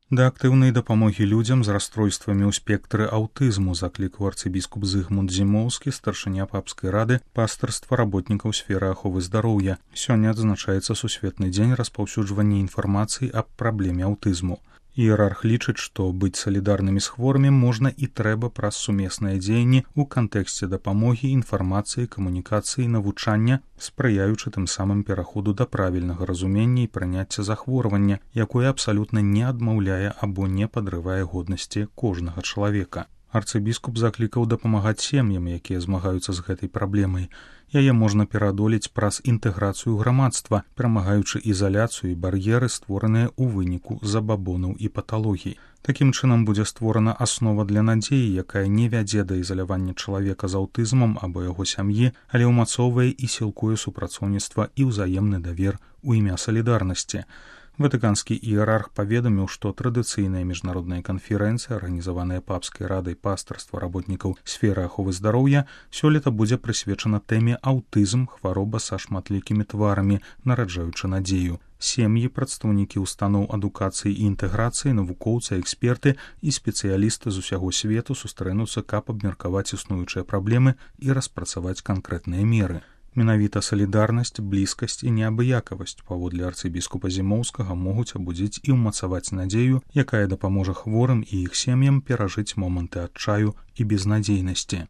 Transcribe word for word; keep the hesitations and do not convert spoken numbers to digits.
Да актыўнай дапамогі людзям з расстройствамі ў спектры аўтызму заклікаў арцыбіскуп Зыгмунд Зімоўскі, старшыня папскай рады пастырства работнікаў сферы аховы здароўя. Сёння адзначаецца сусветны дзень распаўсюджвання інфармацыі аб праблеме аўтызму. Іерарх лічыць, што быць салідарнымі з хворымі можна і трэба праз сумесныя дзеянні ў кантэксце дапамогі, інфармацыі, камунікацыі, навучання, спрыяючы тым самым пераходу да правільнага разумення і прыняцця захворвання, якое абсалютна не адмаўляе або не падрывае годнасці кожнага чалавека. Арцыбіскуп заклікаў дапамагаць сем'ям, якія змагаюцца з гэтай праблемай. Яе можна пераадолець праз інтэграцыю грамадства, перамагаючы ізаляцыю і бар'еры, створаныя ў выніку забабонаў і паталогій. Такім чынам будзе створана аснова для надзеі, якая не вядзе да ізалявання чалавека з аўтызмам або яго сям'і, але ўмацоўвае і сілкуе супрацоўніцтва і ўзаемны давер у імя салідарнасці. Ватыканскі іерарх паведаміў, што традыцыйная міжнародная канферэнцыя, арганізаваная папскай радай пастырства работнікаў сферы аховы здароўя, сёлета будзе прысвечана тэме аўтызм, хвароба са шматлікімі тварамі, нараджаючы надзею. Сем'і, прадстаўнікі ўстаноў адукацыі і інтэграцыі, навукоўцы, эксперты і спецыялісты з усяго свету сустрэнуцца, каб абмеркаваць існуючыя праблемы і распрацаваць канкрэтныя меры. Менавіта салідарнасць, блізкасць і неабыякавасць, паводле арцыбіскупа Зімоўскага, могуць абудзіць і ўмацаваць надзею, якая дапаможа хворым і іх сем'ям перажыць моманты адчаю і безнадзейнасці.